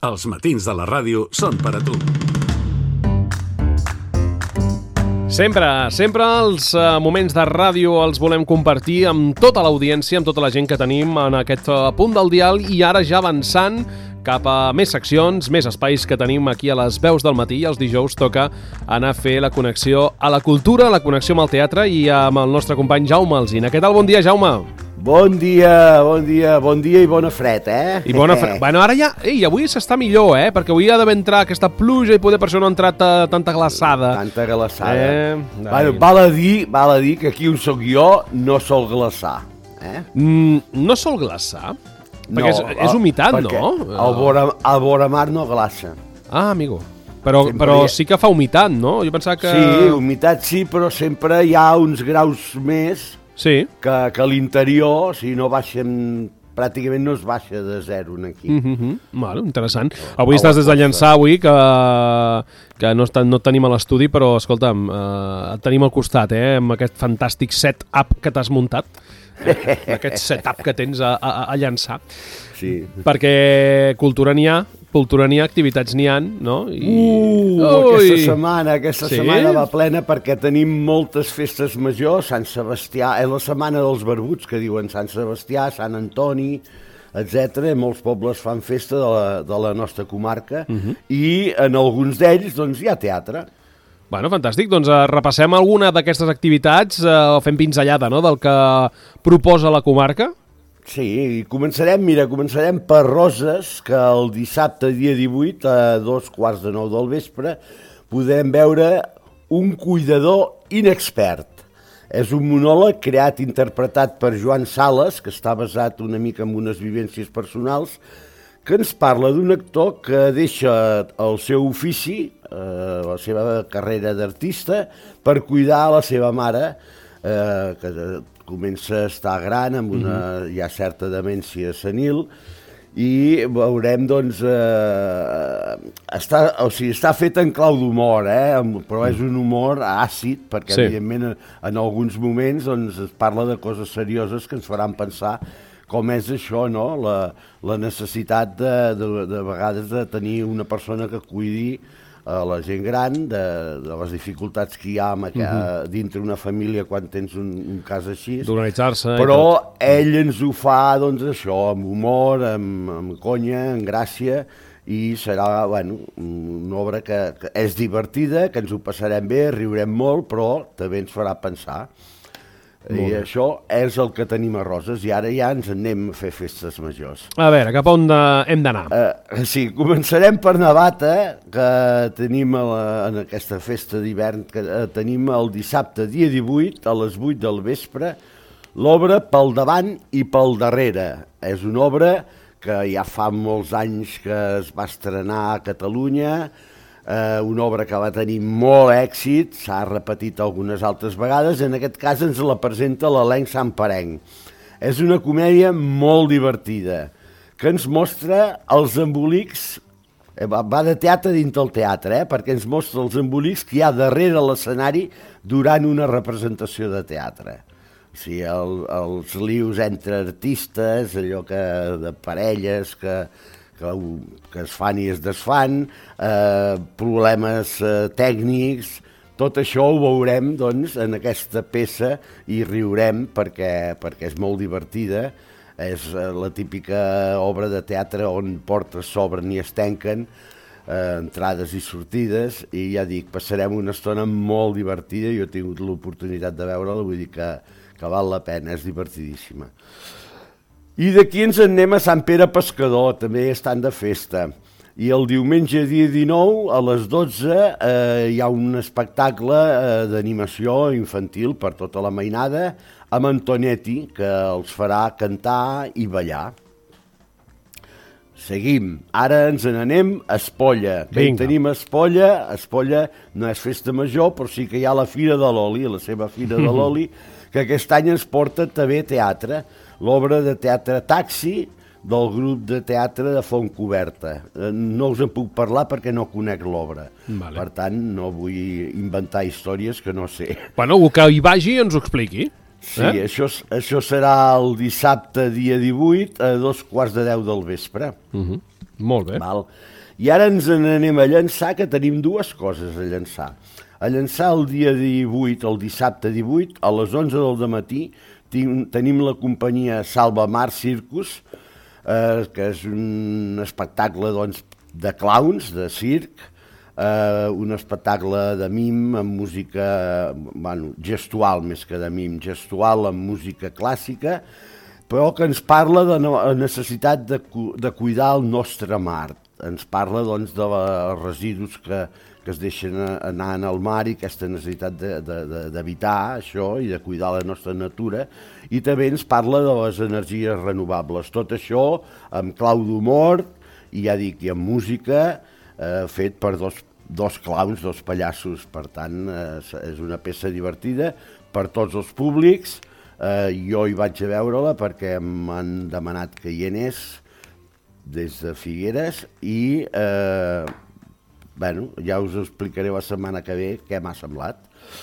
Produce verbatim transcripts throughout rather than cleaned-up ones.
Els matins de la ràdio són per a tu. Sempre, sempre els uh, moments de ràdio els volem compartir amb tota l'audiència, amb tota la gent que tenim en aquest uh, punt del dial, i ara ja avançant cap a més seccions, més espais que tenim aquí a les veus del matí. Els dijous toca anar a fer la connexió a la cultura, la connexió amb el teatre, i amb el nostre company Jaume Alsina. Què tal? Bon dia, Jaume. Bon dia, bon dia, bon dia i bona fred, eh? I bona fred. Bueno, ara ja... Ei, avui s'està millor, eh? Perquè avui ha d'haver entrat aquesta pluja i poder per això no ha entrat uh, tanta glaçada. Tanta glaçada. Eh? Bueno, val a dir, val a dir que aquí on soc jo no sol glaçar, eh? Mm, no sol glaçar? No, perquè és, és humitat, perquè no? Al vora, al vora mar no glaça. Ah, amigo. Però, però sí que fa humitat, no? Jo pensava que... Sí, humitat sí, però sempre hi ha uns graus més sí. que, que a l'interior, si no baixen... Pràcticament no es baixa de zero aquí. Mm -hmm. Bueno, interessant. Avui estàs des de Llançà, avui, que, que no, no et tenim a l'estudi, però, escolta'm, eh, et tenim al costat, eh, amb aquest fantàstic set-up que t'has muntat. Aquest setup que tens a, a, a Llançà. Sí. Perquè cultura n'hi ha, cultura n'hi ha, activitats n'hi ha, no? I... Uh, aquesta setmana, aquesta sí? setmana va plena perquè tenim moltes festes majors. Sant Sebastià, és la setmana dels barbuts, que diuen Sant Sebastià, Sant Antoni, etcètera. Molts pobles fan festa de la, de la nostra comarca, uh -huh. i en alguns d'ells doncs, hi ha teatre. Bueno, fantàstic. Doncs uh, repassem alguna d'aquestes activitats, uh, o fem pinzellada, no?, del que proposa la comarca. Sí, començarem, mira, començarem per Roses, que el dissabte, dia divuit, a dos quarts de nou del vespre, podem veure Un cuidador inexpert. És un monòleg creat i interpretat per Joan Sales, que està basat una mica en unes vivències personals, que ens parla d'un actor que deixa el seu ofici, eh, la seva carrera d'artista, per cuidar a la seva mare, eh, que comença a estar gran, amb una ja certa demència senil, i veurem, doncs, eh, està, o sigui, està fet en clau d'humor, eh, però és un humor àcid, perquè, sí. evidentment, en, en alguns moments doncs, es parla de coses serioses que ens faran pensar com és això, no?, la, la necessitat de, de, de vegades de tenir una persona que cuidi a la gent gran, de, de les dificultats que hi ha amb, uh -huh. dintre una família quan tens un, un cas així. D'organitzar-se. Però ell ens ho fa, doncs, això, amb humor, amb, amb conya, amb gràcia, i serà, bueno, una obra que, que és divertida, que ens ho passarem bé, riurem molt, però també ens farà pensar. I això és el que tenim a Roses, i ara ja ens anem a fer festes majors. A veure, cap a on de... hem d'anar? Uh, sí, començarem per Navata, que tenim a la, en aquesta festa d'hivern, que uh, tenim el dissabte, dia divuit, a les vuit del vespre, l'obra Pel davant i pel darrere. És una obra que ja fa molts anys que es va estrenar a Catalunya, Uh, una obra que va tenir molt èxit, s'ha repetit algunes altres vegades, en aquest cas ens la presenta l'elenc santperenc. És una comèdia molt divertida, que ens mostra els embolics, eh, va de teatre dins del teatre, eh, perquè ens mostra els embolics que hi ha darrere l'escenari durant una representació de teatre. O sigui, el, els lius entre artistes, allò que de parelles que... Que, que es fan i es desfan, eh, problemes eh, tècnics, tot això ho veurem, doncs, en aquesta peça i riurem perquè, perquè és molt divertida. És eh, la típica obra de teatre on portes s'obren i es tanquen, eh, entrades i sortides, i ja dic, passarem una estona molt divertida. Jo he tingut l'oportunitat de veure-la, vull dir que, que val la pena, és divertidíssima. I d'aquí ens en anem a Sant Pere Pescador, també estan de festa. I el diumenge dia dinou, a les dotze, eh, hi ha un espectacle eh, d'animació infantil per tota la mainada, amb Antonetti, que els farà cantar i ballar. Seguim. Ara ens n'anem a Espolla. Que hi tenim a Espolla. A Espolla no és festa major, però sí que hi ha la Fira de l'Oli, la seva Fira de l'Oli, que aquest any ens porta també teatre. L'obra de teatre Taxi del grup de teatre de Fontcoberta. No us en puc parlar perquè no conec l'obra. Vale. Per tant, no vull inventar històries que no sé. Bueno, algú que hi vagi ens ho expliqui. Sí, eh? això, això serà el dissabte, dia divuit, a dos quarts de deu del vespre. Uh-huh. Molt bé. Val? I ara ens n'anem a llançar, que tenim dues coses a llançar. A llançar el dia divuit, el dissabte divuit, a les onze del dematí, tenim la companyia Salva Mar Circus, eh, que és un espectacle doncs, de clowns, de circ, eh, un espectacle de mim amb música bueno, gestual, més que de mim, gestual amb música clàssica, però que ens parla de la necessitat de, de cuidar el nostre mar. Ens parla doncs, de els residus que, que es deixen anar en el mar i aquesta necessitat d'evitar això i de cuidar la nostra natura. I també ens parla de les energies renovables. Tot això amb clau d'humor i ja dic, i amb música eh, fet per dos, dos clowns, dos pallassos. Per tant, eh, és una peça divertida per tots els públics. Eh, jo hi vaig a veure-la perquè m'han demanat que hi anés des de Figueres i eh, bueno, ja us ho explicaré la setmana que ve què m'ha semblat.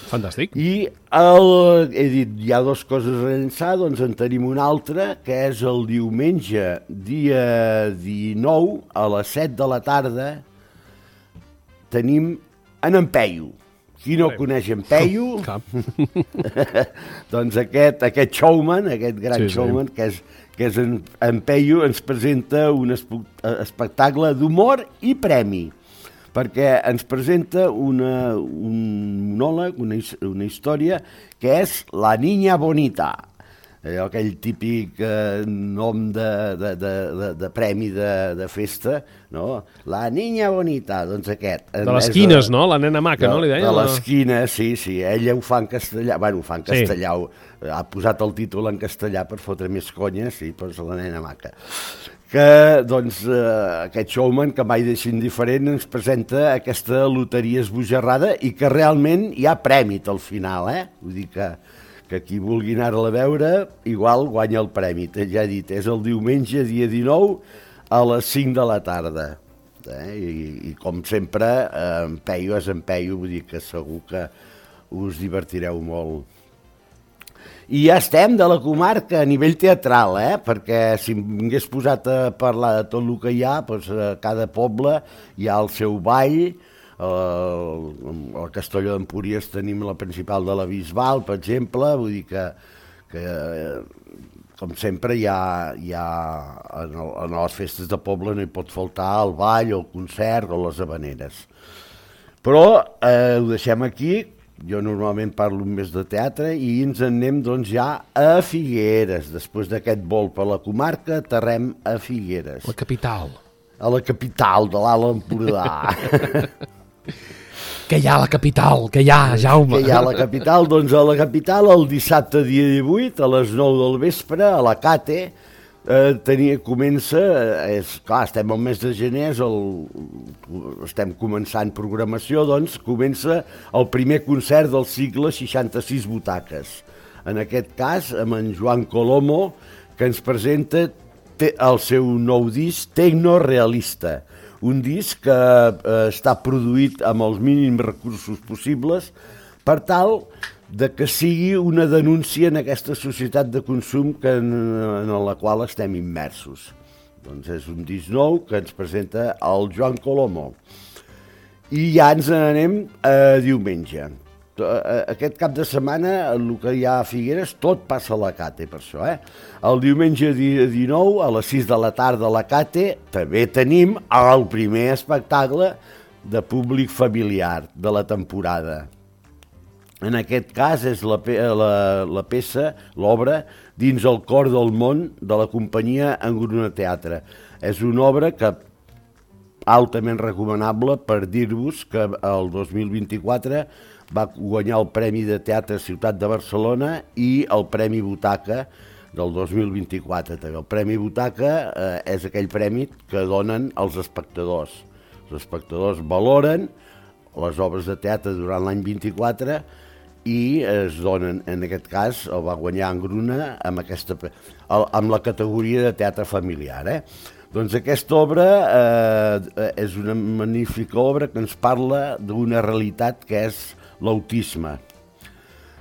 Fantàstic. I el, he dit, hi ha dues coses a llançar, doncs en tenim una altra, que és el diumenge, dia dinou, a les set de la tarda, tenim en Peyu. Qui no coneix en Peyu? Doncs aquest, aquest showman, aquest gran sí, showman, sí. que és, que és en, en Peyu, ens presenta un espectacle d'humor i premi, perquè ens presenta una, un monòleg, una, una història, que és La Niña Bonita. Allò, aquell típic eh, nom de, de, de, de, de premi de, de festa, no? La Niña Bonita, doncs aquest. De les quines, no? La nena maca, de, no? Li deia, de les quines, sí, sí. Ella ho fa en castellà, bueno, ho fa en castellà, sí. Ha posat el títol en castellà per fotre més conya, sí, doncs la nena maca. Que, doncs, eh, aquest showman, que mai deixa indiferent, ens presenta aquesta loteria esbojarrada i que realment hi ha prèmit al final, eh? Vull dir que... que qui vulgui anar-la a veure, igual guanya el premi. Ja he dit, és el diumenge, dia dinou, a les cinc de la tarda. Eh? I, I com sempre, eh, en Peyu és en Peyu, vull dir que segur que us divertireu molt. I ja estem de la comarca a nivell teatral, eh? Perquè si m'hagués posat a parlar de tot el que hi ha, doncs a cada poble hi ha el seu ball. Al Castelló d'Empúries tenim la principal de la Bisbal, per exemple, vull dir que, que com sempre hi ha, hi ha en, el, en les festes de poble no hi pot faltar el ball, el concert o les habaneres. Però eh, ho deixem aquí, jo normalment parlo més de teatre i ens en anem doncs, ja a Figueres. Després d'aquest vol per la comarca, aterrem a Figueres. La capital. A la capital de l'Alt Empordà. Què hi ha a la capital? Què hi ha, Jaume? Què hi ha a la capital? Doncs a la capital, el dissabte dia divuit, a les nou del vespre, a la Cate, eh, tenia, comença, és, clar, estem al mes de gener, el, estem començant programació, doncs comença el primer concert del cicle seixanta-sis butaques. En aquest cas, amb en Joan Colomo, que ens presenta el seu nou disc Tecno Realista. Un disc que eh, està produït amb els mínims recursos possibles per tal de que sigui una denúncia en aquesta societat de consum que en, en la qual estem immersos. Doncs és un disc nou que ens presenta el Joan Colomo. I ja ens n'anem a diumenge. Aquest cap de setmana, el que hi ha a Figueres, tot passa a la Cate, per això, eh? El diumenge dia dinou, a les sis de la tarda a la Cate, també tenim el primer espectacle de públic familiar de la temporada. En aquest cas és la, la, la peça, l'obra, Dins el cor del món, de la companyia Engruna Teatre. És una obra que altament recomanable per dir-vos que el dos mil vint-i-quatre va guanyar el Premi de Teatre Ciutat de Barcelona i el Premi Butaca del dos mil vint-i-quatre. El Premi Butaca eh, és aquell premi que donen els espectadors. Els espectadors valoren les obres de teatre durant l'any vint-i-quatre i es donen, en aquest cas, el va guanyar Engruna amb, aquesta, amb la categoria de teatre familiar. Eh? Doncs aquesta obra eh, és una magnífica obra que ens parla d'una realitat que és l'autisme.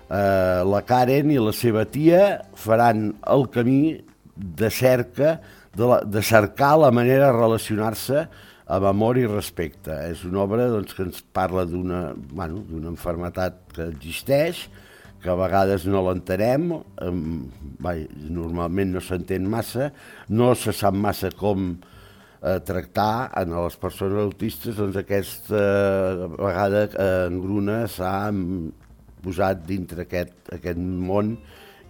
Eh, la Karen i la seva tia faran el camí de cerca de, la, de cercar la manera de relacionar-se amb amor i respecte. És una obra doncs, que ens parla d'una bueno, d'una malaltia que existeix, que a vegades no l'entenem, eh, normalment no s'entén massa, no se sap massa com eh, tractar en les persones autistes, doncs aquesta eh, vegada eh, en Gruna s'ha posat dintre aquest, aquest món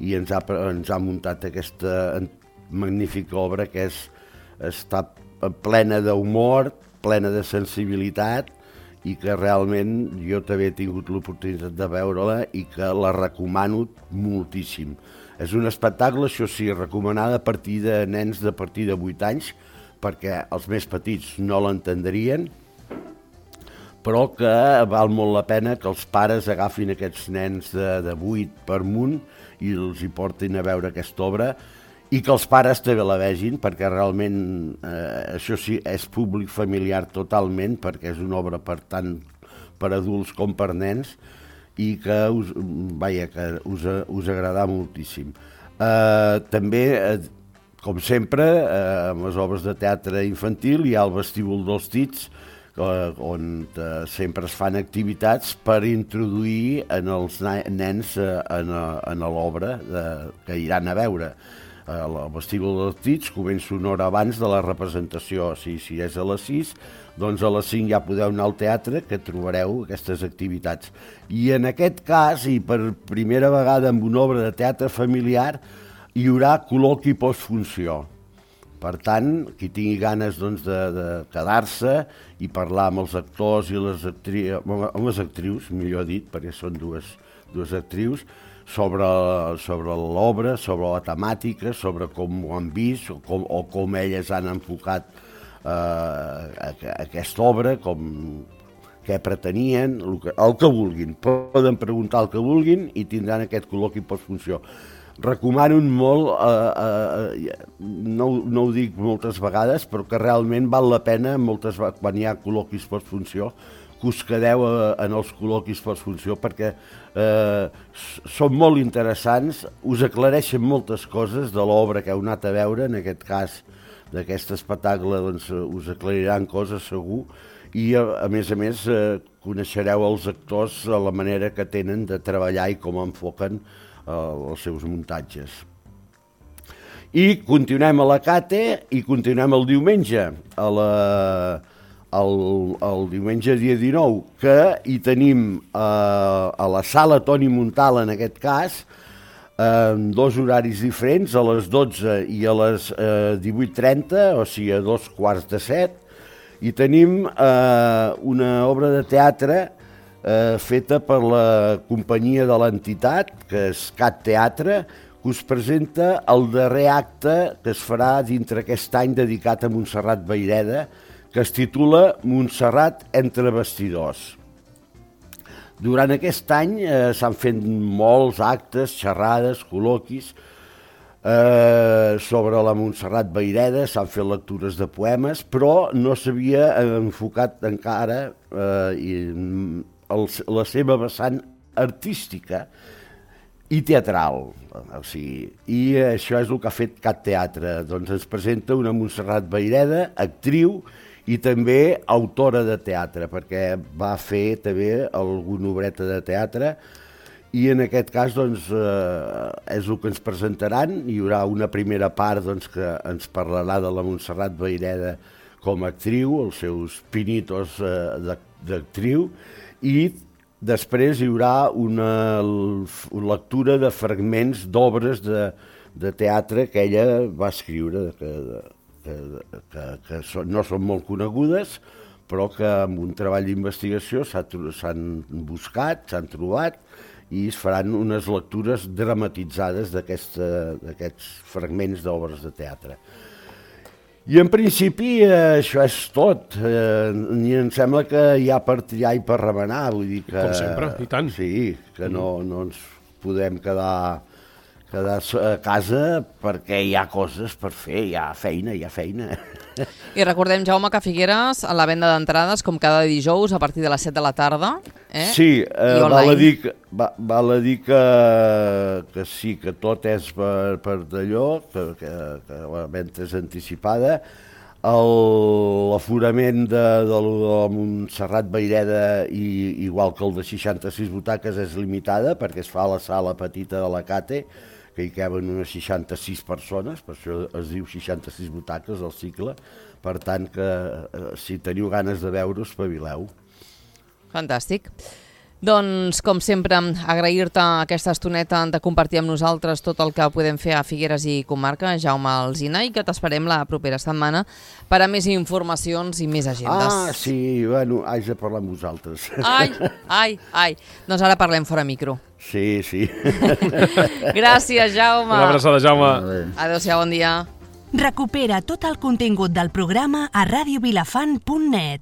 i ens ha, ens ha muntat aquesta magnífica obra que és, està plena d'humor, plena de sensibilitat i que realment jo també he tingut l'oportunitat de veure-la i que la recomano moltíssim. És un espectacle, això sí, recomanada a partir de nens de partir de vuit anys, perquè els més petits no l'entendrien, però que val molt la pena que els pares agafin aquests nens de, de vuit per munt i els hi portin a veure aquesta obra i que els pares també la vegin, perquè realment, eh, això sí, és públic familiar totalment, perquè és una obra per tant per adults com per nens, i que us, vaja, que us, us agradarà moltíssim. Eh, també, eh, com sempre, eh, amb les obres de teatre infantil hi ha el Vestíbul dels Tits, eh, on eh, sempre es fan activitats per introduir en els nens eh, en, en l'obra que iran a veure. El Vestíbul dels Tits comença una hora abans de la representació, si, si és a les sis, doncs a les cinc ja podeu anar al teatre, que trobareu aquestes activitats. I en aquest cas, i per primera vegada amb una obra de teatre familiar, hi haurà col·loqui postfunció. Per tant, qui tingui ganes doncs, de, de quedar-se i parlar amb els actors i les actrius, amb les actrius, millor dit, perquè són dues, dues actrius, sobre, sobre l'obra, sobre la temàtica, sobre com ho han vist o com, o com elles han enfocat eh, aquesta obra, com, què pretenien, el que, el que vulguin. Poden preguntar el que vulguin i tindran aquest col·loqui postfunció. Recomano molt, eh, eh, no, no ho dic moltes vegades, però que realment val la pena moltes, quan hi ha col·loquis postfunció, que us quedeu en els col·loquis postfunció perquè eh, són molt interessants, us aclareixen moltes coses de l'obra que heu anat a veure, en aquest cas d'aquest espectacle doncs, us aclariran coses segur i a, a més a més eh, coneixereu els actors a la manera que tenen de treballar i com enfoquen eh, els seus muntatges. I continuem a la Cate i continuem el diumenge a la... El, el diumenge dia dinou, que hi tenim eh, a la sala Toni Montal, en aquest cas, en dos horaris diferents, a les dotze i a les eh, divuit trenta, o sigui, a dos quarts de set, i tenim eh, una obra de teatre eh, feta per la companyia de l'entitat, que és Cat Teatre, que us presenta el darrer acte que es farà dintre aquest any dedicat a Montserrat Vayreda, que es titula Montserrat entre bastidors. Durant aquest any eh, s'han fet molts actes, xerrades, col·loquis eh, sobre la Montserrat Vayreda, s'han fet lectures de poemes, però no s'havia enfocat encara eh, el, la seva vessant artística i teatral. O sigui, i això és el que ha fet Cat Teatre. Doncs ens presenta una Montserrat Vayreda, actriu, i també autora de teatre, perquè va fer també alguna obreta de teatre i en aquest cas doncs, eh, és el que ens presentaran. Hi haurà una primera part doncs, que ens parlarà de la Montserrat Vayreda com a actriu, els seus pinitos eh, d'actriu, i després hi haurà una, una lectura de fragments d'obres de, de teatre que ella va escriure, que que, que, que són, no són molt conegudes, però que amb un treball d'investigació s'han buscat, s'han trobat i es faran unes lectures dramatitzades d'aquests fragments d'obres de teatre. I en principi eh, això és tot. Eh, I em sembla que hi ha per triar i per remenar. Vull dir que, com sempre, i tant. Sí, que no, no ens podem quedar, quedar a casa perquè hi ha coses per fer, hi ha feina, hi ha feina. I recordem, Jaume, que a Figueres, a la venda d'entrades, com cada dijous, a partir de les set de la tarda, eh? Sí, eh, val, a dir que, va, val a dir que, que sí, que tot és per, per d'allò, que, que, que la venda és anticipada. L'aforament de, de, de Montserrat Vayreda, i, igual que el de seixanta-sis butaques, és limitada perquè es fa a la sala petita de la Cate, que hi caben unes seixanta-sis persones, per això es diu seixanta-sis butaques al cicle. Per tant, que eh, si teniu ganes de veure, espavileu. Fantàstic. Doncs, com sempre, agrair-te aquesta estoneta de compartir amb nosaltres tot el que podem fer a Figueres i comarca, Jaume Alsina, i que t'esperem la propera setmana per a més informacions i més agendes. Ah, sí, bueno, haig de parlar amb vosaltres. Ai, ai, ai. Doncs ara parlem fora micro. Sí, sí. Gràcies, Jaume. Una abraçada, Jaume. Adéu-siau, bon dia. Recupera tot el contingut del programa a radio vilafant punt net.